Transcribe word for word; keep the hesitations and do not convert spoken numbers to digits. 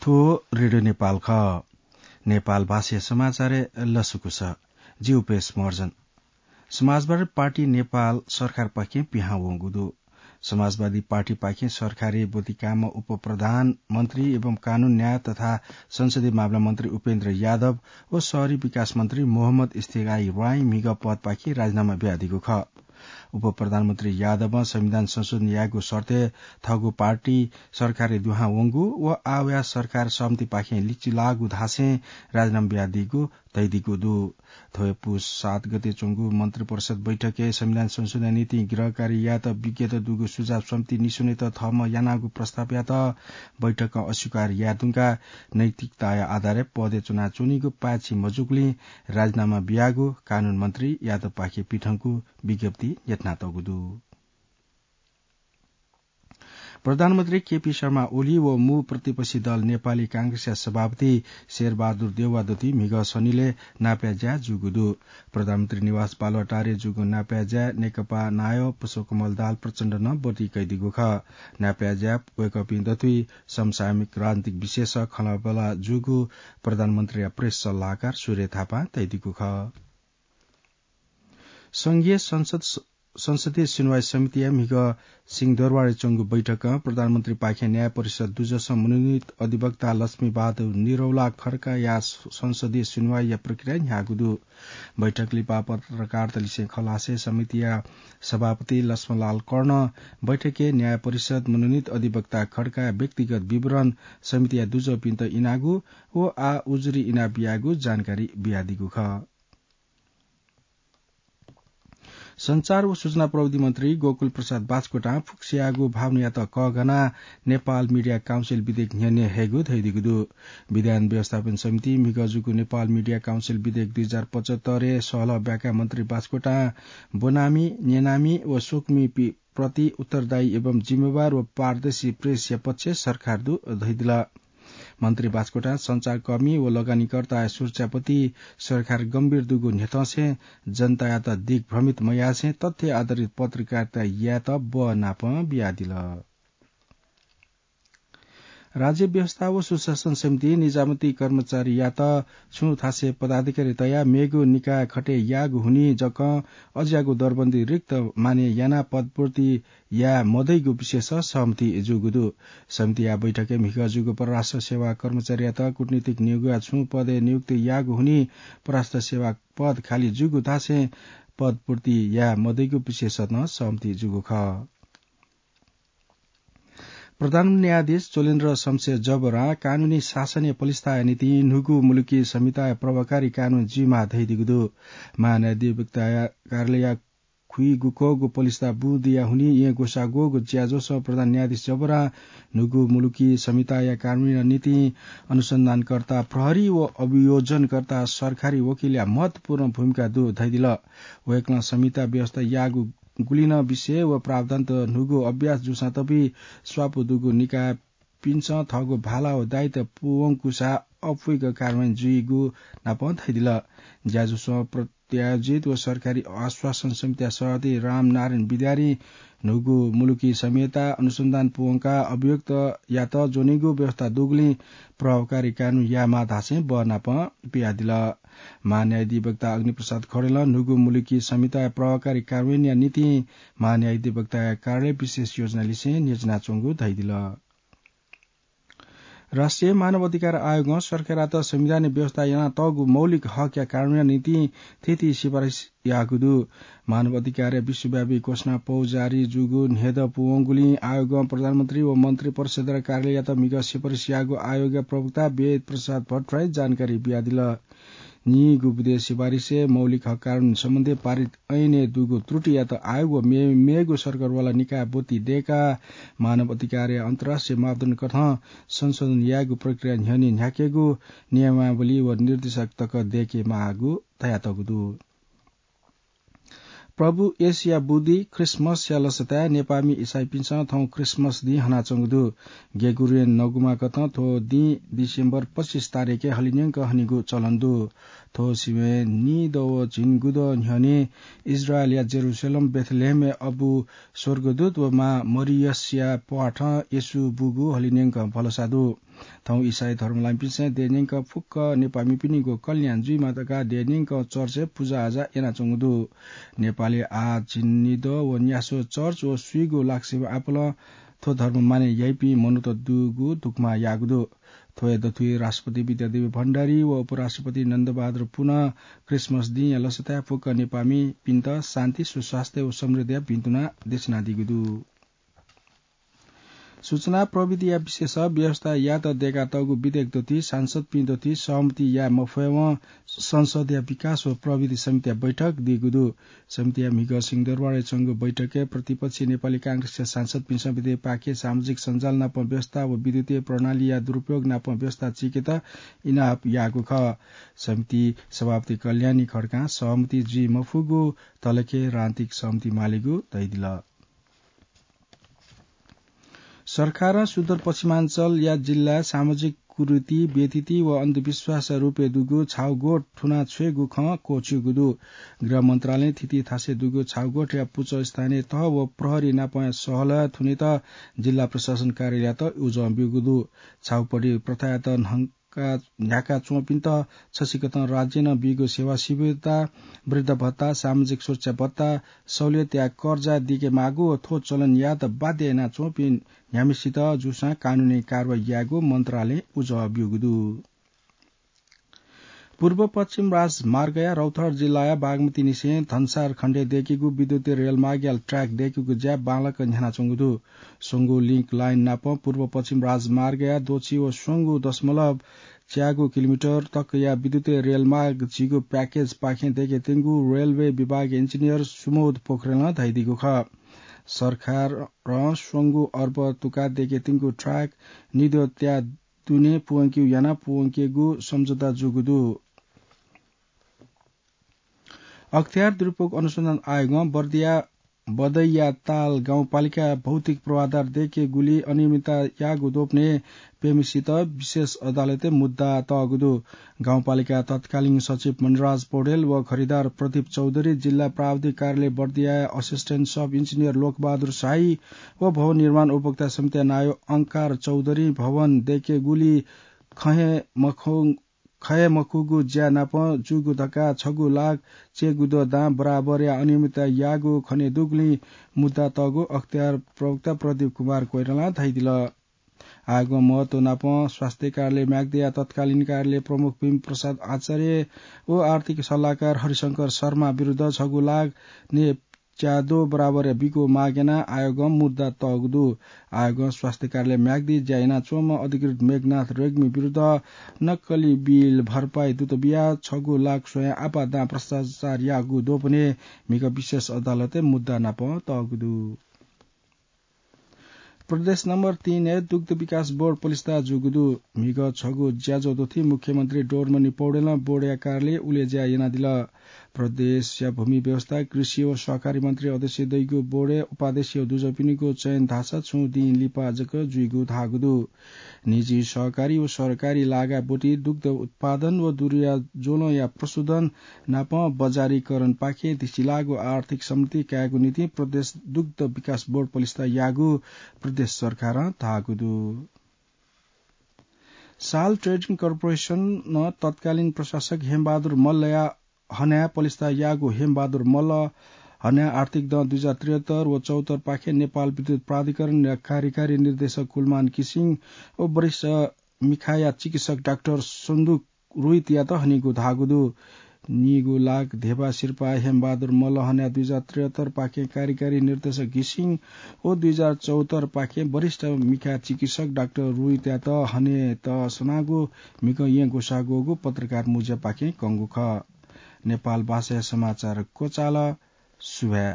थ्व रेडियो नेपाल खः। नेपाल भाषाया समाचारय् लसकुस। जि उपेश महर्जन। समाजवादी पार्टी नेपाल सरकारपाखें पिहां वंगु दु। समाजवादी पार्टीपाखें सरकारी ब्वति काःम्ह उपप्रधानमन्त्री एवं कानून, न्याय तथा संसदीय मामला मन्त्री उपेन्द्र यादव व शहरी विकास मन्त्री मोहम्मद इस्तेगाई राई म्हिगः पदपाखें राजीनामा बियादीगु खः। उपप्रधानमन्त्री यादवं संविधान संशोधन यायेगु शर्तय् थःगु पार्टी सरकारय् दुहां वंगु व आः वयाः सरकार सहमतिपाखें लिचिलाःगु धासें राजीनामा बियादीगु धयादीगु दु। थ्व पुस सात गते च्वंगु मन्त्रिपरिषद बैठकय् संविधान संशोधन निंतिं गृह कार्य यायेत विज्ञत दुगु सुझाव समिति निस्वनेत थःम्हं यानागु प्रस्तावयात बैठकं अस्वीकार याये धुंकाः नैतिकताया आधारय् पदय् च्वनाच्वनीगु पाय्छि मजूगुलिं राजीनामा बियागु कानून मन्त्री यादवपाखें पिथंगु विज्ञप्ति न्ह्यथनातःगु दु। प्रधानमन्त्री केपी शर्मा ओली व मू प्रतिपक्षी दल नेपाली कांग्रेसया सभापति शेरबहादुर देउवादुति म्हिगः शनिलय् नापया ज्या जूगु दु। प्रधानमन्त्री निवास बालुवाटारय् जूगु नापया ज्याय् नेकपा नायः पुष्पकमल दाहाल प्रचण्ड नं ब्वति कयादीगु खः। नापया ज्याय् वय्कःपिं दथुइ समसामयिक राजनीतिक विषयस खँल्हाबल्हा जूगु प्रधानमन्त्रीया प्रेस सल्लाहकार सूर्य थापां तयादीगु खः। संघीय संसद, संसदीय सुनवाई समितिया म्हिगः सिंहदरबारय् च्वंगु बैठकं प्रधानमन्त्रीपाखें न्याय परिषद दुजसं मनोनीत अधिवक्ता लक्ष्मी बहादुर निरौला खड्काया संसदीय सुनवाईया प्रक्रिया न्ह्याःगु दु। बैठक लिपा पत्रकारतलिसें खँ ल्हासें समितिया सभापति लक्ष्मणलाल कर्णं बैठकय् न्याय परिषद मनोनीत अधिवक्ता खड्काया व्यक्तिगत विवरण समितिया दुजःपिन्त इनागु व आः उजुरी इनाबियागु जानकारी बियादीगु खः। सञ्चार व सूचना प्रविधि मन्त्री गोकुल प्रसाद बास्कोटां फुक्कसियागु भावनायात कःघानाः नेपाल मिडिया काउन्सिल विधेयक न्ह्यःने हयेगु धयादीगु दु। विधान व्यवस्थापन समितिं म्हिगः जूगु नेपाल मिडिया काउन्सिल विधेयक दुई हजार पचहत्तरय् सहलह ब्याकाः मन्त्री बास्कोटां ब्वनामि, न्यनामि व स्वकुमिपिं प्रति उत्तरदायी एवं जिम्मेवार व पारदर्शी प्रेसया पक्षय् सरकार दु धयादिल। मन्त्री बास्कोटां सञ्चारकर्मी व लगानीकर्ताया सुरक्षाप्रति सरकार गम्भीर दुगु न्ह्यथंसें जनतायात दिग्भ्रमित मयासें तथ्य आधारित पत्रकारिता यायेत बः नापं बियादिल। राज्य व्यवस्था व सुशासन समितिं निजामती कर्मचारीयात छुं थासय् पदाधिकारी तयाः मेगु निकाय खटे याःगु हुनिं जकं अज्याःगु दरबन्दी रिक्त माने यानाः पदपूर्ति याये मदइगु विषयस सहमति जूगु दु। समितिया बैठकय् म्हिगः जूगु परराष्ट्र सेवा कर्मचारीयात कूटनीतिक नियोगया छुं पदय् नियुक्ति याःगु हुनिं परराष्ट्र सेवा पद खाली जूगु धासें पदपूर्ति याये मदइगु विषयस नं सहमति जूगु खः। प्रधान न्यायाधीश चोलेन्द्र शमशेर जबरां कानूनी शासनया पलिस्ताया निंतिं न्हूगु मुलुकी संहिताया प्रभावकारी कानून जुइमाः धयादीगु दु। महान्यायाधिवक्ताया कार्यालयया खुइगुक्वःगु पलिस्ता बूदिया हुनिं येँ ग्वसाः ग्वःगु ज्याझ्वलय् प्रधान न्यायाधीश जबरां न्हूगु मुलुकी संहिताया कार्यान्वयनया निंतिं अनुसन्धानकर्ता, प्रहरी व अभियोजनकर्ता, सरकारी वकिलया महत्वपूर्ण भूमिका दु धयादिल। वय्कलं संहिता व्यवस्था याःगु गुलिं नं विषय व प्रावधानत न्हूगु अभ्यास जूसां तपि स्वापू दुगु निकायपिन्सं थःगु भाला व दायित्व पूवंकूसा अप्वइक कार्यान्वयन जुइगु नापं धयादिल। ज्याझ्वलय् प्रायोजित व सरकारी आश्वासन समितिया सभापति रामनारायण विद्यारीं न्हूगु मुलुकी संहिता अनुसन्धान पूवंकाः अभियुक्तयात ज्वनीगु व्यवस्था दुगुलिं प्रभावकारी कानून यायेमाः धासें बः नापं बियादिल। महान्यायाधिवक्ता अग्निप्रसाद खड्गीं न्हूगु मुलुकी संहिताया प्रभावकारी कार्यान्वयनया निंतिं महान्यायाधिवक्ताया कार्यालय विशेष योजना लिसें न्ह्यचिनाच्वंगु धयादिल। राष्ट्रिय मानव अधिकार आयोगं सरकारयात संविधानय् व्यवस्था यानातःगु मौलिक हकया कार्यान्वयनया निंतिं थीथी सिफारिस याःगु दु। मानव अधिकारया विश्वव्यापी घोषणा पौ जारी जूगु न्हेद पूवंगुलिं आयोगं प्रधानमन्त्री व मन्त्रिपरिषदया कार्यालययात म्हिगः सिफारिस याःगु आयोगया प्रवक्ता वेद प्रसाद भट्टराईं जानकारी बियादिल। नीगू बुँदे सिफारिसय् मौलिक हक कानून सम्बन्धी पारित ऐनय् दुगु त्रुटियात आयोग व मे-, मेगु सरकारवाला निकायं ब्वति दय्काः मानव अधिकारया अन्तर्राष्ट्रिय मापदण्ड कथं संशोधन यायेगु प्रक्रिया न्ह्यःने न्ह्याकेगु नियमावली व निर्देशक तक दय्केमाःगु धयातःगु दु। प्रभु येशूया बुदिं ख्रीष्टमसया लसताय् नेपाःमि इसाईपिन्सं थौं ख्रीष्टमस दिं हनाच्वंगु दु। ग्रेगोरियन नगुमा कथं थ्व दिं डिसेम्बर पच्चिस तारिखय् हलिंन्यंक हनेगु चलन दु। थ्व सिबें नीदँ व झिंगुदँ न्ह्यःने इस्राएलया जेरूसलेम बेथलेहेमय् अबु स्वर्गदूत व मां मरियसया प्वाथं येशू बूगु हलिंन्यंक भलसा दु। थौं इसाई धर्मलाइपिन्सं देय्‌न्यंक फुक्क नेपामिपिनिगु कल्याण जुइमा धकाः देय्‌न्यंक चर्चय् पुजाआजा यानाच्वंगु दु। नेपालय् आः झिंनिदँ व न्यासः चर्च व स्वीगू लाक्सेबु आपालं थ्व धर्म मानय् याइपिं मनूत दुगु दुकमा याःगु दु। थ्वया दथुइ राष्ट्रपति विद्यादेवी भण्डारी व उपराष्ट्रपति नन्दबहादुर पुनं क्रिसमस दिंया लसताय् फुक्क नेपामिपिन्त शान्ति, सुस्वास्थ्य व समृद्धिया भिंतुना देछानादीगु दु। सूचना प्रविधिया विशेष व्यवस्था यायेत दय्‌कातःगु विधेयक दथुइ सांसदपिं दथुइ सहमति याये मफयेवं संसदया विकास व प्रविधि समितिया बैठक दीगु दु। समितिया म्हिगः सिंहदरबारय् च्वंगु बैठकय् प्रतिपक्षी नेपाली कांग्रेसया सांसदपिन्सं विधेयकपाखे सामाजिक सञ्जाल नाप व्यवस्था व विद्युतीय प्रणालीया दुरुपयोग नाप व्यवस्था चीकेत इनाप याःगु खः। समिति सभापति कल्याणी खड्कां सहमति जुइ मफुगु तलखे राजनीतिक सहमति मालेगु धयादिल। सरकारं सुदूरपश्चिमाञ्चलया जिल्लाय् सामाजिक कुरीति, व्यथिति व अन्धविश्वासया रूपय् दुगु छाउगोठ थुना छ्वयेगु खँ क्वःछिउगु दु। गृह मन्त्रालयं थीथी थासय् दुगु छाउगोठया पुचः स्थानीय तह व प्रहरी नाप सहलह थुनेत जिल्ला प्रशासन कार्यालययात उजं ब्यूगु दु। छाउपडी प्रथायात न्हं का न्ह्याका च्वंपिन्त छसिकथं राज्यं बीगु सेवा सुविधा, वृद्ध भत्ता, सामाजिक सुरक्षा भत्ता, सहुलियतया कर्जा दीके माःगु व थ्व चलन यायेत बाध्य याना च्वंपिं न्ह्याम्हेसित जूसां कानूनी कारवाही यायेगु मन्त्रालयं उजं ब्यूगु दु। पूर्व पश्चिम राजमार्गया रौतहट जिल्लाया बागमती निसें धनसार खण्डय् दय्केगु विद्युतीय रेलमार्गया ट्र्याक दय्केगु ज्या बांलाक न्ह्यानाच्वंगु दु। स्वंगू लिंक लाइन नाप पूर्व पश्चिम राजमार्गया द्वःछि व स्वंगू दशमलव च्यागू किलोमिटर तकया विद्युतीय रेलमार्ग झीगू प्याकेजपाखें दय्केत्यंगु रेलवे विभागया इन्जिनियर सुमोध पोखरेलं धयादीगु खः। सरकारं स्वंगू अर्ब तुका दय्केत्यंगु ट्र्याक निद्वः त्याः दुने पूवंकेगु यानाः पूवंकेगु सम्झौता जूगु दु। अख्तियार दुरुपयोग अनुसन्धान आयोगं बर्दिया बदैयाताल गाउँपालिकाय् भौतिक पूर्वाधार दय्केगुली अनियमितता याःगु द्वपनय् प्यम्हेसित विशेष अदालतय् मुद्दा तःगु दु। गाउँपालिका तत्कालीन सचिव मणिराज पौडेल व खरिदार प्रदीप चौधरी, जिल्ला प्राविधिक कार्यालय बर्दियाया असिस्टेन्ट सब इन्जिनियर लोकबहादुर शाही व भवन निर्माण उपभोक्ता समितिया नायः अंकार चौधरी भवन दय्केगुली खँ हे मखु खये मखुगु ज्या नाप जूगु धकाः छगू लाख च्यागू द्वः दां बराबरया अनियमितता याःगु खनेदुगुलिं मुद्दा तःगु अख्तियार प्रवक्ता प्रदीप कुमार कोइरालां धयादिल। आयोगं महत्व नाप स्वास्थ्य कार्यालय म्याग्दीया तत्कालीन कार्यालय प्रमुख भीम प्रसाद आचार्य व आर्थिक सल्लाहकार हरिशंकर शर्मा विरुद्ध छगू लाख ने च्यादो बराबर बीगु माग यानाः आयोगं मुद्दा तःगु दु। आयोगं स्वास्थ्य कार्यालय म्याग्दी ज्या यानाच्वंम्ह अधिकृत मेघनाथ रेग्मी विरुद्ध नक्कली बिल भरपाई दुत बियाः छगू लाख स्वयाः आपाः दां भ्रष्टाचार याःगु द्वपनय् म्हिगः विशेष अदालतय् मुद्दा नाप तःगु दु। प्रदेश नम्बर तीनय् दुग्ध विकास बोर्ड पलिस्था जूगु दु। म्हिगः छगू ज्याझ्वः दथुइ मुख्यमन्त्री डोरमणि पौडेलं बोर्डया कार्यालय उलेज्या यानादिल। प्रदेशया भूमि व्यवस्था, कृषि व सहकारी मन्त्री अध्यक्ष दइगु बोर्डय् उपाध्यक्ष व दुजःपिनिगु चयन धाःसा छुं दिं लिपा जक जुइगु धाःगु दु। निजी सहकारी व सरकारी लागा ब्वति दुग्ध उत्पादन व दुरिया ज्वलंया प्रशोधन नाप बजारीकरणपाखें दृष्टिलाःगु आर्थिक सम्पत्ति कायेगु निंतिं प्रदेश दुग्ध विकास बोर्ड पलिस्था याःगु प्रदेश सरकारं धाःगु दु। साल ट्रेडिङ कर्पोरेसनं तत्कालीन प्रशासक हेमबहादुर मल्लया हनाय् पलिस्था याःगु हेमबहादुर मल्ल हनाय् आर्थिक दँ दुई हजार त्रिहत्तर व चौहत्तरपाखें नेपाल विद्युत प्राधिकरणया कार्यकारी निर्देशक कुलमान घिसिङ व वरिष्ठ मिखाया चिकित्सक डाक्टर सन्दुक रोहितयात हनीगु धाःगु दु। नीगू लाख धेबा सिरपाः हेमबहादुर मल्ल हनाय् दुई हजार त्रिहत्तरपाखें कार्यकारी निर्देशक घिसिङ व दुई हजार चौहत्तरपाखें वरिष्ठ मिखा चिकित्सक डाक्टर रोहितयात हनेत सनागु म्हिगः येँ ग्वसाः ग्वःगु पत्रकार मुँज्यापाखें कंगु खः। नेपाल भाषाया समाचार क्वचाल। सुभाय्।